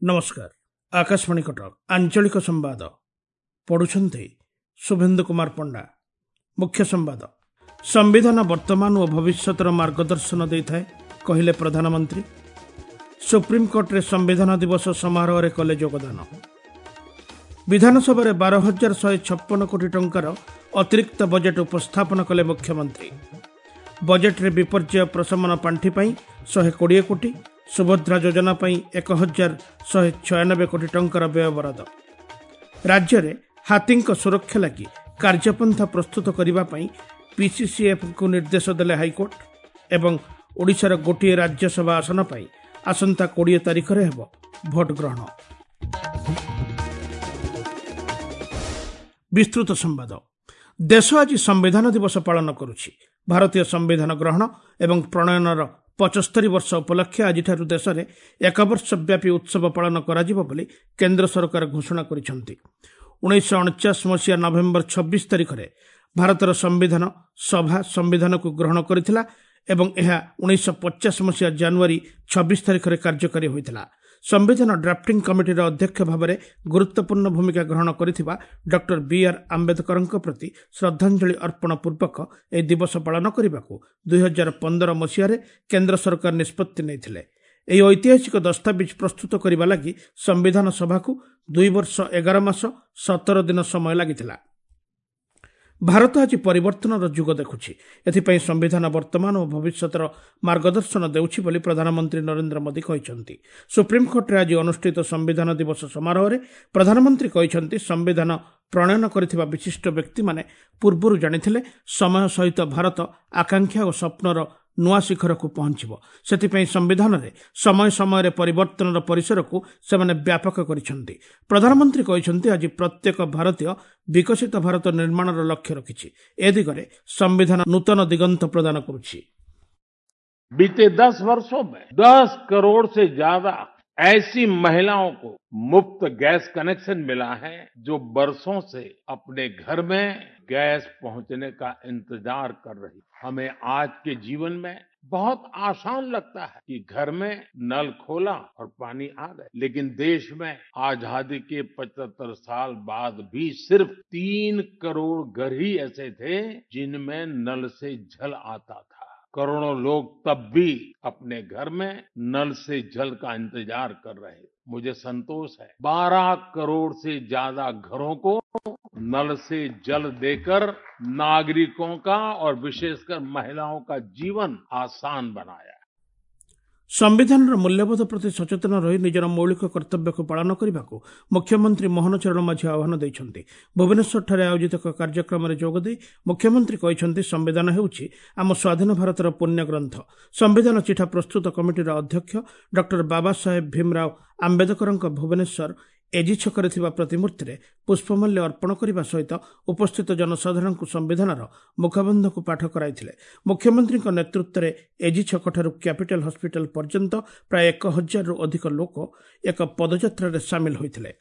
ନମସ୍କାର, ଆକାଶବାଣୀ କଟକ, ଆଞ୍ଚଳିକ ସମ୍ବାଦ ପଢୁଛନ୍ତି ଶୁଭେନ୍ଦୁ କୁମାର ପଣ୍ଡା। ମୁଖ୍ୟ ସମ୍ବାଦ। ସମ୍ବିଧାନ ବର୍ତ୍ତମାନ ଓ ଭବିଷ୍ୟତର ମାର୍ଗଦର୍ଶନ ଦେଇଥାଏ, କହିଲେ ପ୍ରଧାନମନ୍ତ୍ରୀ। ସୁପ୍ରିମକୋର୍ଟରେ ସମ୍ବିଧାନ ଦିବସ ସମାରୋହରେ କଲେ ଯୋଗଦାନ। ବିଧାନସଭାରେ 12,156 କୋଟି ଟଙ୍କାର ଅତିରିକ୍ତ ବଜେଟ୍ ଉପସ୍ଥାପନ କଲେ ମୁଖ୍ୟମନ୍ତ୍ରୀ। ବଜେଟ୍ରେ ବିପର୍ଯ୍ୟୟ ପ୍ରଶମନ ପାଣ୍ଠି ପାଇଁ 120 କୋଟି, ସୁଭଦ୍ରା ଯୋଜନା ପାଇଁ 1,196 କୋଟି ଟଙ୍କାର ବ୍ୟୟବରାଦ। ରାଜ୍ୟରେ ହାତୀଙ୍କ ସୁରକ୍ଷା ଲାଗି କାର୍ଯ୍ୟପନ୍ଥା ପ୍ରସ୍ତୁତ କରିବା ପାଇଁ ପିସିସିଏଫ୍ଙ୍କୁ ନିର୍ଦ୍ଦେଶ ଦେଲେ ହାଇକୋର୍ଟ। ଏବଂ ଓଡ଼ିଶାର ଗୋଟିଏ ରାଜ୍ୟସଭା ଆସନ ପାଇଁ ଆସନ୍ତା 20 ତାରିଖରେ ହେବ ଭୋଟ ଗ୍ରହଣ। ବିସ୍ତୃତ ସମ୍ବାଦ। ଦେଶ ଆଜି ସମ୍ବିଧାନ ଦିବସ ପାଳନ କରୁଛି। ଭାରତୀୟ ସମ୍ବିଧାନ ଗ୍ରହଣ ଏବଂ ପ୍ରଣୟନର 75 ବର୍ଷ ଉପଲକ୍ଷେ ଆଜିଠାରୁ ଦେଶରେ ଏକ ବର୍ଷ ବ୍ୟାପୀ ଉତ୍ସବ ପାଳନ କରାଯିବ ବୋଲି କେନ୍ଦ୍ର ସରକାର ଘୋଷଣା କରିଛନ୍ତି। 1949 ମସିହା ନଭେମ୍ବର 26 ତାରିଖରେ ଭାରତର ସମ୍ବିଧାନ ସଭା ସମ୍ବିଧାନକୁ ଗ୍ରହଣ କରିଥିଲା ଏବଂ ଏହା 1950 ମସିହା ଜାନୁଆରୀ 26 ତାରିଖରେ କାର୍ଯ୍ୟକାରୀ ହୋଇଥିଲା। ସମ୍ବିଧାନ ଡ୍ରାଫ୍ଟିଂ କମିଟିର ଅଧ୍ୟକ୍ଷ ଭାବରେ ଗୁରୁତ୍ୱପୂର୍ଣ୍ଣ ଭୂମିକା ଗ୍ରହଣ କରିଥିବା ଡକ୍ଟର ବି ଆର୍ ଆମ୍ବେଦକରଙ୍କ ପ୍ରତି ଶ୍ରଦ୍ଧାଞ୍ଜଳି ଅର୍ପଣ ପୂର୍ବକ ଏହି ଦିବସ ପାଳନ କରିବାକୁ 2015 ମସିହାରେ କେନ୍ଦ୍ର ସରକାର ନିଷ୍ପତ୍ତି ନେଇଥିଲେ। ଏହି ଐତିହାସିକ ଦସ୍ତାବିଜ ପ୍ରସ୍ତୁତ କରିବା ଲାଗି ସମ୍ବିଧାନ ସଭାକୁ 2 ବର୍ଷ 11 ମାସ 17 ଦିନ ସମୟ ଲାଗିଥିଲା। ଭାରତ ଆଜି ପରିବର୍ତ୍ତନର ଯୁଗ ଦେଖୁଛି। ଏଥିପାଇଁ ସମ୍ବିଧାନ ବର୍ତ୍ତମାନ ଓ ଭବିଷ୍ୟତର ମାର୍ଗଦର୍ଶନ ଦେଉଛି ବୋଲି ପ୍ରଧାନମନ୍ତ୍ରୀ ନରେନ୍ଦ୍ର ମୋଦି କହିଛନ୍ତି। ସୁପ୍ରିମକୋର୍ଟରେ ଆଜି ଅନୁଷ୍ଠିତ ସମ୍ବିଧାନ ଦିବସ ସମାରୋହରେ ପ୍ରଧାନମନ୍ତ୍ରୀ କହିଛନ୍ତି, ସମ୍ବିଧାନ ପ୍ରଣୟନ କରିଥିବା ବିଶିଷ୍ଟ ବ୍ୟକ୍ତିମାନେ ପୂର୍ବରୁ ଜାଣିଥିଲେ ସମୟ ସହିତ ଭାରତ ଆକାଂକ୍ଷା ଓ ସ୍ୱପ୍ନର ନୂଆ ଶିଖରକୁ ପହଞ୍ଚିବ। ସେଥିପାଇଁ ସମ୍ବିଧାନରେ ସମୟ ସମୟରେ ପରିବର୍ତ୍ତନର ପରିସରକୁ ସେମାନେ ବ୍ୟାପକ କରିଛନ୍ତି। ପ୍ରଧାନମନ୍ତ୍ରୀ କହିଛନ୍ତି, ଆଜି ପ୍ରତ୍ୟେକ ଭାରତୀୟ ବିକଶିତ ଭାରତ ନିର୍ମାଣର ଲକ୍ଷ୍ୟ ରଖିଛି। ଏ ଦିଗରେ ସମ୍ବିଧାନ ନୂତନ ଦିଗନ୍ତ ପ୍ରଦାନ କରୁଛି। बीते 10 वर्षों में 10 करोड़ से ज्यादा ऐसी महिलाओं को मुफ्त गैस कनेक्शन मिला है जो बरसों से अपने घर में गैस पहुंचने का इंतजार कर रही। हमें आज के जीवन में बहुत आसान लगता है कि घर में नल खोला और पानी आ गया, लेकिन देश में आजादी के 75 साल बाद भी सिर्फ 3 करोड़ घर ही ऐसे थे जिनमें नल से जल आता था। करोड़ों लोग तब भी अपने घर में नल से जल का इंतजार कर रहे। मुझे संतोष है 12 करोड़ से ज्यादा घरों को नल से जल देकर नागरिकों का और विशेषकर महिलाओं का जीवन आसान बनाया। ସମ୍ବିଧାନର ମୂଲ୍ୟବୋଧ ପ୍ରତି ସଚେତନ ରହି ନିଜର ମୌଳିକ କର୍ତ୍ତବ୍ୟକୁ ପାଳନ କରିବାକୁ ମୁଖ୍ୟମନ୍ତ୍ରୀ ମୋହନ ଚରଣ ମାଝୀ ଆହ୍ୱାନ ଦେଇଛନ୍ତି। ଭୁବନେଶ୍ୱରଠାରେ ଆୟୋଜିତ ଏକ କାର୍ଯ୍ୟକ୍ରମରେ ଯୋଗଦେଇ ମୁଖ୍ୟମନ୍ତ୍ରୀ କହିଛନ୍ତି, ସମ୍ବିଧାନ ହେଉଛି ଆମ ସ୍ୱାଧୀନ ଭାରତର ପୁଣ୍ୟଗ୍ରନ୍ଥ। ସମ୍ବିଧାନ ଚିଠା ପ୍ରସ୍ତୁତ କମିଟିର ଅଧ୍ୟକ୍ଷ ଡକ୍ଟର ବାବା ସାହେବ ଭୀମରାଓ ଆମ୍ବେଦକରଙ୍କ ଭୁବନେଶ୍ୱର ଏଜି ଛକରେ ଥିବା ପ୍ରତିମୂର୍ତ୍ତିରେ ପୁଷ୍ପମାଲ୍ୟ ଅର୍ପଣ କରିବା ସହିତ ଉପସ୍ଥିତ ଜନସାଧାରଣଙ୍କୁ ସମ୍ବିଧାନର ମୁଖବନ୍ଧକୁ ପାଠ କରାଇଥିଲେ। ମୁଖ୍ୟମନ୍ତ୍ରୀଙ୍କ ନେତୃତ୍ୱରେ ଏଜି ଛକଠାରୁ କ୍ୟାପିଟାଲ ହସ୍ପିଟାଲ ପର୍ଯ୍ୟନ୍ତ ପ୍ରାୟ 1000ରୁ ଅଧିକ ଲୋକ ଏକ ପଦଯାତ୍ରାରେ ସାମିଲ ହୋଇଥିଲେ।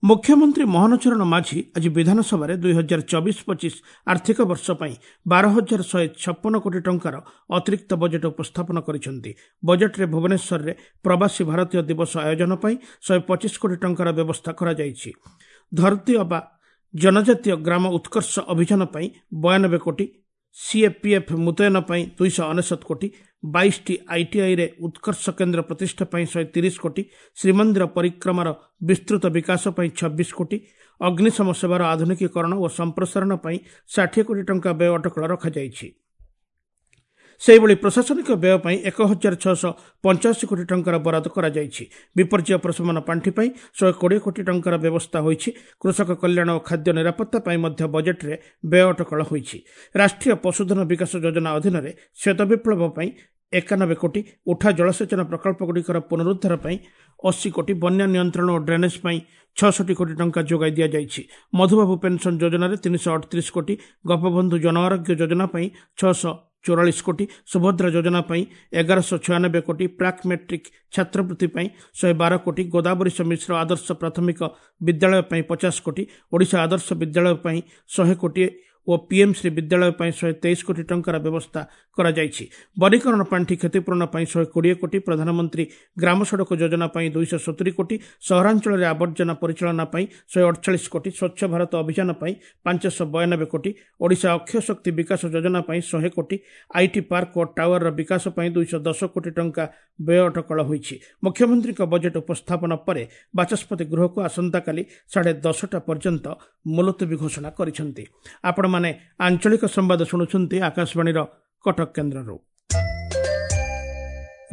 ମୁଖ୍ୟମନ୍ତ୍ରୀ ମୋହନ ଚରଣ ମାଝୀ ଆଜି ବିଧାନସଭାରେ 2024-25 ଆର୍ଥିକ ବର୍ଷ ପାଇଁ 12,156 କୋଟି ଟଙ୍କାର ଅତିରିକ୍ତ ବଜେଟ୍ ଉପସ୍ଥାପନ କରିଛନ୍ତି। ବଜେଟ୍ରେ ଭୁବନେଶ୍ୱରରେ ପ୍ରବାସୀ ଭାରତୀୟ ଦିବସ ଆୟୋଜନ ପାଇଁ 125 କୋଟି ଟଙ୍କାର ବ୍ୟବସ୍ଥା କରାଯାଇଛି। ଧରତୀ ଅବା ଜନଜାତୀୟ ଗ୍ରାମ ଉତ୍କର୍ଷ ଅଭିଯାନ ପାଇଁ 92 କୋଟି, ସିଏପିଏଫ୍ ମୁତୟନ ପାଇଁ 299 କୋଟି, 22ଟି ଆଇଟିଆଇରେ ଉତ୍କର୍ଷ କେନ୍ଦ୍ର ପ୍ରତିଷ୍ଠା ପାଇଁ 130 କୋଟି, ଶ୍ରୀମନ୍ଦିର ପରିକ୍ରମାର ବିସ୍ତୃତ ବିକାଶ ପାଇଁ 26 କୋଟି, ଅଗ୍ନିଶମ ସେବାର ଆଧୁନିକୀକରଣ ଓ ସମ୍ପ୍ରସାରଣ ପାଇଁ 60 କୋଟି ଟଙ୍କା ବ୍ୟୟ ଅଟକଳ ରଖାଯାଇଛି। ସେହିଭଳି ପ୍ରଶାସନିକ ବ୍ୟୟ ପାଇଁ 1,685 କୋଟି ଟଙ୍କାର ବରାଦ କରାଯାଇଛି। ବିପର୍ଯ୍ୟୟ ପ୍ରଶମନ ପାଣ୍ଠି ପାଇଁ 120 କୋଟି ଟଙ୍କାର ବ୍ୟବସ୍ଥା ହୋଇଛି। କୃଷକ କଲ୍ୟାଣ ଓ ଖାଦ୍ୟ ନିରାପତ୍ତା ପାଇଁ ମଧ୍ୟ ବଜେଟ୍ରେ ବ୍ୟୟ ଅଟକଳ ହୋଇଛି। ରାଷ୍ଟ୍ରୀୟ ପଶୁଧନ ବିକାଶ ଯୋଜନା ଅଧୀନରେ ଶ୍ୱେତ ବିପ୍ଳବ ପାଇଁ 91 କୋଟି, ଉଠା ଜଳସେଚନ ପ୍ରକଳ୍ପଗୁଡ଼ିକର ପୁନରୁଦ୍ଧାର ପାଇଁ 80 କୋଟି, ବନ୍ୟା ନିୟନ୍ତ୍ରଣ ଓ ଡ୍ରେନେଜ୍ ପାଇଁ 66 କୋଟି ଟଙ୍କା ଯୋଗାଇ ଦିଆଯାଇଛି। ମଧୁବାବୁ ପେନ୍ସନ୍ ଯୋଜନାରେ 338 କୋଟି, ଗୋପବନ୍ଧୁ ଜନଆରୋଗ୍ୟ ଯୋଜନା ପାଇଁ 644 କୋଟି, ସୁଭଦ୍ରା ଯୋଜନା ପାଇଁ 1196 କୋଟି, ପ୍ରାକ୍ ମେଟ୍ରିକ୍ ଛାତ୍ରବୃତ୍ତି ପାଇଁ 112 କୋଟି, ଗୋଦାବରୀଶ ମିଶ୍ର ଆଦର୍ଶ ପ୍ରାଥମିକ ବିଦ୍ୟାଳୟ ପାଇଁ 50 କୋଟି, ଓଡ଼ିଶା ଆଦର୍ଶ ବିଦ୍ୟାଳୟ ପାଇଁ 100 କୋଟି ଓ ପିଏମ୍ଶ୍ରୀ ବିଦ୍ୟାଳୟ ପାଇଁ 123 କୋଟି ଟଙ୍କାର ବ୍ୟବସ୍ଥା କରାଯାଇଛି। ବନୀକରଣ ପାଣ୍ଠି କ୍ଷତିପୂରଣ ପାଇଁ 120 କୋଟି, ପ୍ରଧାନମନ୍ତ୍ରୀ ଗ୍ରାମ ସଡ଼କ ଯୋଜନା ପାଇଁ 270 କୋଟି, ସହରାଞ୍ଚଳରେ ଆବର୍ଜନା ପରିଚାଳନା ପାଇଁ 148 କୋଟି, ସ୍ୱଚ୍ଛ ଭାରତ ଅଭିଯାନ ପାଇଁ 592 କୋଟି, ଓଡ଼ିଶା ଅକ୍ଷୟ ଶକ୍ତି ବିକାଶ ଯୋଜନା ପାଇଁ 100 କୋଟି, IT park ଓ ଟାୱାରର ବିକାଶ ପାଇଁ 210 କୋଟି ଟଙ୍କା ବ୍ୟୟ ଅଟକଳ ହୋଇଛି। ମୁଖ୍ୟମନ୍ତ୍ରୀଙ୍କ ବଜେଟ୍ ଉପସ୍ଥାପନ ପରେ ବାଚସ୍ପତି ଗୃହକୁ ଆସନ୍ତାକାଲି 10:30 ପର୍ଯ୍ୟନ୍ତ ମୁଲତବୀ ଘୋଷଣା କରିଛନ୍ତି। ଆପଣମାନେ ଆଞ୍ଚଳିକ ସମ୍ବାଦ ଶୁଣୁଛନ୍ତି ଆକାଶବାଣୀର କଟକ କେନ୍ଦ୍ରରୁ।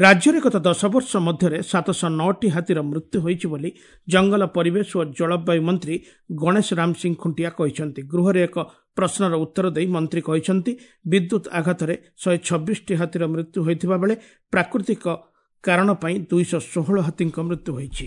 ରାଜ୍ୟରେ ଗତ 10 ବର୍ଷ ମଧ୍ୟରେ 709ଟି ହାତୀର ମୃତ୍ୟୁ ହୋଇଛି ବୋଲି ଜଙ୍ଗଲ, ପରିବେଶ ଓ ଜଳବାୟୁ ମନ୍ତ୍ରୀ ଗଣେଶ ରାମ ସିଂ ଖୁଣ୍ଟିଆ କହିଛନ୍ତି। ଗୃହରେ ଏକ ପ୍ରଶ୍ନର ଉତ୍ତର ଦେଇ ମନ୍ତ୍ରୀ କହିଛନ୍ତି, ବିଦ୍ୟୁତ୍ ଆଘାତରେ 126ଟି ହାତୀର ମୃତ୍ୟୁ ହୋଇଥିବା ବେଳେ ପ୍ରାକୃତିକ କାରଣ ପାଇଁ 216 ହାତୀଙ୍କ ମୃତ୍ୟୁ ହୋଇଛି।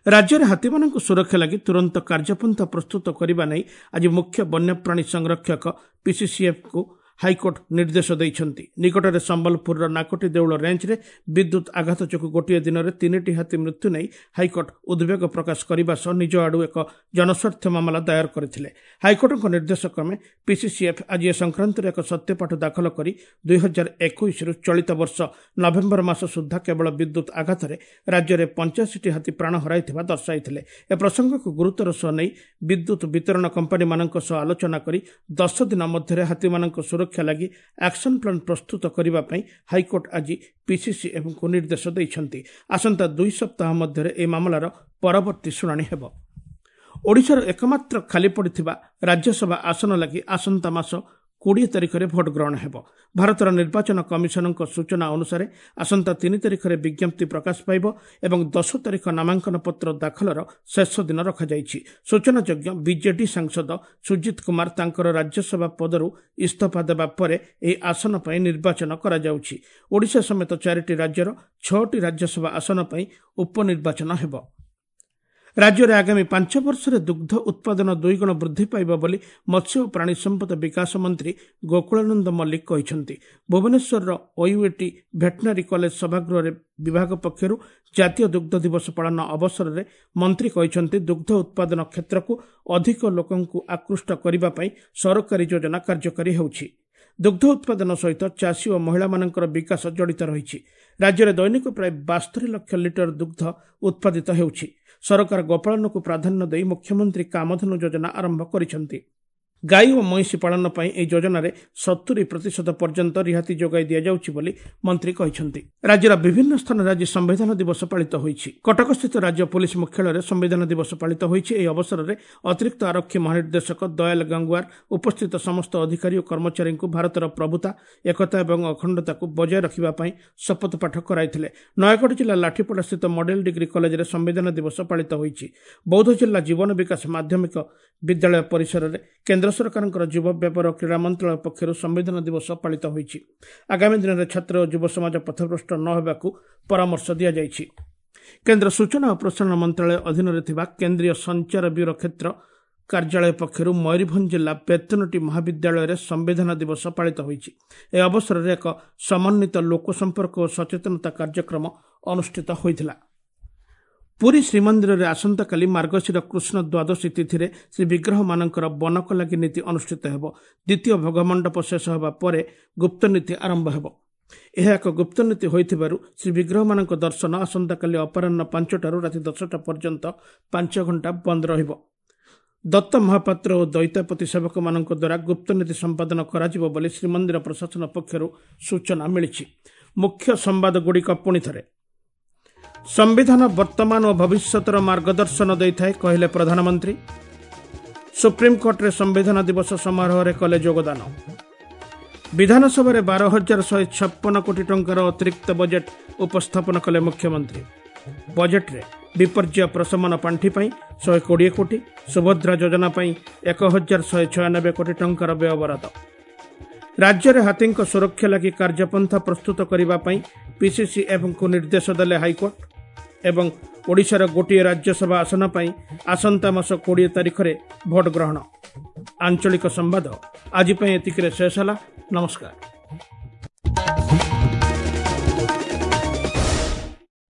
ରାଜ୍ୟରେ ହାତୀମାନଙ୍କ ସୁରକ୍ଷା ଲାଗି ତୁରନ୍ତ କାର୍ଯ୍ୟପନ୍ଥା ପ୍ରସ୍ତୁତ କରିବା ନେଇ ଆଜି ମୁଖ୍ୟ ବନ୍ୟପ୍ରାଣୀ ସଂରକ୍ଷକ ପିସିସିଏଫ୍କୁ ହାଇକୋର୍ଟ ନିର୍ଦ୍ଦେଶ ଦେଇଛନ୍ତି। ନିକଟରେ ସମ୍ବଲପୁରର ନାକଟି ଦେଉଳ ରେଞ୍ଜରେ ବିଦ୍ୟୁତ୍ ଆଘାତ ଯୋଗୁଁ ଗୋଟିଏ ଦିନରେ 3ଟି ହାତୀ ମୃତ୍ୟୁ ନେଇ ହାଇକୋର୍ଟ ଉଦ୍ବେଗ ପ୍ରକାଶ କରିବା ସହ ନିଜ ଆଡୁ ଏକ ଜନସ୍ୱାର୍ଥ ମାମଲା ଦାୟର କରିଥିଲେ। ହାଇକୋର୍ଟଙ୍କ ନିର୍ଦ୍ଦେଶ କ୍ରମେ ପିସିସିଏଫ୍ ଆଜି ଏ ସଂକ୍ରାନ୍ତରେ ଏକ ସତ୍ୟପାଠ ଦାଖଲ କରି 2021ରୁ ଚଳିତ ବର୍ଷ ନଭେମ୍ବର ମାସ ସୁଦ୍ଧା କେବଳ ବିଦ୍ୟୁତ୍ ଆଘାତରେ ରାଜ୍ୟରେ 85ଟି ହାତୀ ପ୍ରାଣ ହରାଇଥିବା ଦର୍ଶାଇଥିଲେ। ଏ ପ୍ରସଙ୍ଗକୁ ଗୁରୁତର ସହ ନେଇ ବିଦ୍ୟୁତ୍ ବିତରଣ କମ୍ପାନୀମାନଙ୍କ ସହ ଆଲୋଚନା କରି 10 ଦିନ ମଧ୍ୟରେ ହାତୀମାନଙ୍କ ସୁରକ୍ଷା ଲାଗି ଆକ୍ସନ ପ୍ଲାନ୍ ପ୍ରସ୍ତୁତ କରିବା ପାଇଁ ହାଇକୋର୍ଟ ଆଜି ପିସିସିଏଫ୍ଙ୍କୁ ନିର୍ଦ୍ଦେଶ ଦେଇଛନ୍ତି। ଆସନ୍ତା 2 ସପ୍ତାହ ମଧ୍ୟରେ ଏହି ମାମଲାର ପରବର୍ତ୍ତୀ ଶୁଣାଣି ହେବ। ଓଡ଼ିଶାର ଏକମାତ୍ର ଖାଲି ପଡ଼ିଥିବା ରାଜ୍ୟସଭା ଆସନ ଲାଗି ଆସନ୍ତା ମାସ 20 ତାରିଖରେ ଭୋଟ ଗ୍ରହଣ ହେବ। ଭାରତର ନିର୍ବାଚନ କମିଶନଙ୍କ ସୂଚନା ଅନୁସାରେ ଆସନ୍ତା 3 ତାରିଖରେ ବିଜ୍ଞପ୍ତି ପ୍ରକାଶ ପାଇବ ଏବଂ 10 ତାରିଖ ନାମାଙ୍କନ ପତ୍ର ଦାଖଲର ଶେଷ ଦିନ ରଖାଯାଇଛି। ସୂଚନାଯୋଗ୍ୟ, ବିଜେଡି ସାଂସଦ ସୁଜିତ କୁମାର ତାଙ୍କର ରାଜ୍ୟସଭା ପଦରୁ ଇସ୍ତଫା ଦେବା ପରେ ଏହି ଆସନ ପାଇଁ ନିର୍ବାଚନ କରାଯାଉଛି। ଓଡ଼ିଶା ସମେତ 4ଟି ରାଜ୍ୟର 6ଟି ରାଜ୍ୟସଭା ଆସନ ପାଇଁ ଉପନିର୍ବାଚନ ହେବ। ରାଜ୍ୟରେ ଆଗାମୀ 5 ବର୍ଷରେ ଦୁଗ୍ଧ ଉତ୍ପାଦନ 2 ଗୁଣ ବୃଦ୍ଧି ପାଇବ ବୋଲି ମତ୍ସ୍ୟ ଓ ପ୍ରାଣୀ ସମ୍ପଦ ବିକାଶ ମନ୍ତ୍ରୀ ଗୋକୁଳାନନ୍ଦ ମଲ୍ଲିକ କହିଛନ୍ତି। ଭୁବନେଶ୍ୱରର ଓୟୁଏଟି ଭେଟନାରୀ କଲେଜ ସଭାଗୃହରେ ବିଭାଗ ପକ୍ଷରୁ ଜାତୀୟ ଦୁଗ୍ଧ ଦିବସ ପାଳନ ଅବସରରେ ମନ୍ତ୍ରୀ କହିଛନ୍ତି, ଦୁଗ୍ଧ ଉତ୍ପାଦନ କ୍ଷେତ୍ରକୁ ଅଧିକ ଲୋକଙ୍କୁ ଆକୃଷ୍ଟ କରିବା ପାଇଁ ସରକାରୀ ଯୋଜନା କାର୍ଯ୍ୟକାରୀ ହେଉଛି। ଦୁଗ୍ଧ ଉତ୍ପାଦନ ସହିତ ଚାଷୀ ଓ ମହିଳାମାନଙ୍କର ବିକାଶ ଜଡ଼ିତ ରହିଛି। ରାଜ୍ୟରେ ଦୈନିକ ପ୍ରାୟ 72 ଲକ୍ଷ ଲିଟର ଦୁଗ୍ଧ ଉତ୍ପାଦିତ ହେଉଛି। ସରକାର ଗୋପାଳନକୁ ପ୍ରାଧାନ୍ୟ ଦେଇ ମୁଖ୍ୟମନ୍ତ୍ରୀ କାମଧେନୁ ଯୋଜନା ଆରମ୍ଭ କରିଛନ୍ତି। ଗାଈ ଓ ମଇଁଷି ପାଳନ ପାଇଁ ଏହି ଯୋଜନାରେ 70% ପର୍ଯ୍ୟନ୍ତ ରିହାତି ଯୋଗାଇ ଦିଆଯାଉଛି ବୋଲି ମନ୍ତ୍ରୀ କହିଛନ୍ତି। ରାଜ୍ୟର ବିଭିନ୍ନ ସ୍ଥାନରେ ଆଜି ସମ୍ବିଧାନ ଦିବସ ପାଳିତ ହୋଇଛି। କଟକସ୍ଥିତ ରାଜ୍ୟ ପୋଲିସ ମୁଖ୍ୟାଳୟରେ ସମ୍ବିଧାନ ଦିବସ ପାଳିତ ହୋଇଛି। ଏହି ଅବସରରେ ଅତିରିକ୍ତ ଆରକ୍ଷୀ ମହାନିର୍ଦ୍ଦେଶକ ଦୟାଲ ଗଙ୍ଗୱାର ଉପସ୍ଥିତ ସମସ୍ତ ଅଧିକାରୀ ଓ କର୍ମଚାରୀଙ୍କୁ ଭାରତର ପ୍ରଭୁତା, ଏକତା ଏବଂ ଅଖଣ୍ଡତାକୁ ବଜାୟ ରଖିବା ପାଇଁ ଶପଥ ପାଠ କରାଇଥିଲେ। ନୟାଗଡ଼ ଜିଲ୍ଲା ଲାଠିପଡ଼ାସ୍ଥିତ ମଡେଲ ଡିଗ୍ରୀ କଲେଜରେ ସମ୍ବିଧାନ ଦିବସ ପାଳିତ ହୋଇଛି। ବୌଦ୍ଧ ଜିଲ୍ଲା ଜୀବନ ବିକାଶ ମାଧ୍ୟମିକ ବିଦ୍ୟାଳୟ ପରିସରରେ କେନ୍ଦ୍ର ସରକାରଙ୍କର ଯୁବ ବ୍ୟାପାର ଓ କ୍ରୀଡ଼ା ମନ୍ତ୍ରଣାଳୟ ପକ୍ଷରୁ ସମ୍ବିଧାନ ଦିବସ ପାଳିତ ହୋଇଛି। ଆଗାମୀ ଦିନରେ ଛାତ୍ର ଓ ଯୁବ ସମାଜ ପଥଭ୍ରଷ୍ଟ ନ ହେବାକୁ ପରାମର୍ଶ ଦିଆଯାଇଛି। କେନ୍ଦ୍ର ସୂଚନା ଓ ପ୍ରସାରଣ ମନ୍ତ୍ରଣାଳୟ ଅଧୀନରେ ଥିବା କେନ୍ଦ୍ରୀୟ ସଞ୍ଚାର ବ୍ୟୁରୋ କ୍ଷେତ୍ର କାର୍ଯ୍ୟାଳୟ ପକ୍ଷରୁ ମୟୂରଭଞ୍ଜ ଜିଲ୍ଲା ବେତନଟୀ ମହାବିଦ୍ୟାଳୟରେ ସମ୍ବିଧାନ ଦିବସ ପାଳିତ ହୋଇଛି। ଏହି ଅବସରରେ ଏକ ସମନ୍ୱିତ ଲୋକସମ୍ପର୍କ ଓ ସଚେତନତା କାର୍ଯ୍ୟକ୍ରମ ଅନୁଷ୍ଠିତ ହୋଇଥିଲା। ପୁରୀ ଶ୍ରୀମନ୍ଦିରରେ ଆସନ୍ତାକାଲି ମାର୍ଗଶିର କୃଷ୍ଣ ଦ୍ୱାଦଶୀ ତିଥିରେ ଶ୍ରୀବିଗ୍ରହମାନଙ୍କର ବନକଲାଗି ନୀତି ଅନୁଷ୍ଠିତ ହେବ। ଦ୍ୱିତୀୟ ଭୋଗମଣ୍ଡପ ଶେଷ ହେବା ପରେ ଗୁପ୍ତନୀତି ଆରମ୍ଭ ହେବ। ଏହା ଏକ ଗୁପ୍ତନୀତି ହୋଇଥିବାରୁ ଶ୍ରୀବିଗ୍ରହମାନଙ୍କ ଦର୍ଶନ ଆସନ୍ତାକାଲି ଅପରାହ୍ନ 5ଟାରୁ ରାତି 10ଟା ପର୍ଯ୍ୟନ୍ତ 5 ଘଣ୍ଟା ବନ୍ଦ ରହିବ। ଦତ୍ତ ମହାପାତ୍ର ଓ ଦୈତାପତି ସେବକମାନଙ୍କ ଦ୍ୱାରା ଗୁପ୍ତନୀତି ସମ୍ପାଦନ କରାଯିବ ବୋଲି ଶ୍ରୀମନ୍ଦିର ପ୍ରଶାସନ ପକ୍ଷରୁ ସୂଚନା ମିଳିଛି। ମୁଖ୍ୟ ସମ୍ବାଦଗୁଡ଼ିକ ପୁଣିଥରେ। ସମ୍ବିଧାନ ବର୍ତ୍ତମାନ ଓ ଭବିଷ୍ୟତର ମାର୍ଗଦର୍ଶନ ଦେଇଥାଏ, କହିଲେ ପ୍ରଧାନମନ୍ତ୍ରୀ। ସୁପ୍ରିମକୋର୍ଟରେ ସମ୍ବିଧାନ ଦିବସ ସମାରୋହରେ କଲେ ଯୋଗଦାନ। ବିଧାନସଭାରେ 12,156 କୋଟି ଟଙ୍କାର ଅତିରିକ୍ତ ବଜେଟ୍ ଉପସ୍ଥାପନ କଲେ ମୁଖ୍ୟମନ୍ତ୍ରୀ। ବଜେଟ୍ରେ ବିପର୍ଯ୍ୟୟ ପ୍ରଶମନ ପାଣ୍ଠି ପାଇଁ 120 କୋଟି, ସୁଭଦ୍ରା ଯୋଜନା ପାଇଁ 1,196 କୋଟି ଟଙ୍କାର ବ୍ୟୟବରାଦ। ରାଜ୍ୟରେ ହାତୀଙ୍କ ସୁରକ୍ଷା ଲାଗି କାର୍ଯ୍ୟପନ୍ଥା ପ୍ରସ୍ତୁତ କରିବା ପାଇଁ ପିସିସିଏଫ୍ଙ୍କୁ ନିର୍ଦ୍ଦେଶ ଦେଲେ ହାଇକୋର୍ଟ। ଏବଂ ଓଡ଼ିଶାର ଗୋଟିଏ ରାଜ୍ୟସଭା ଆସନ ପାଇଁ ଆସନ୍ତା ମାସ 20 ତାରିଖରେ ଭୋଟ ଗ୍ରହଣ। ଆଞ୍ଚଳିକ ସମ୍ବାଦ ଆଜି ପାଇଁ ଏତିକିରେ ଶେଷ ହେଲା। ନମସ୍କାର।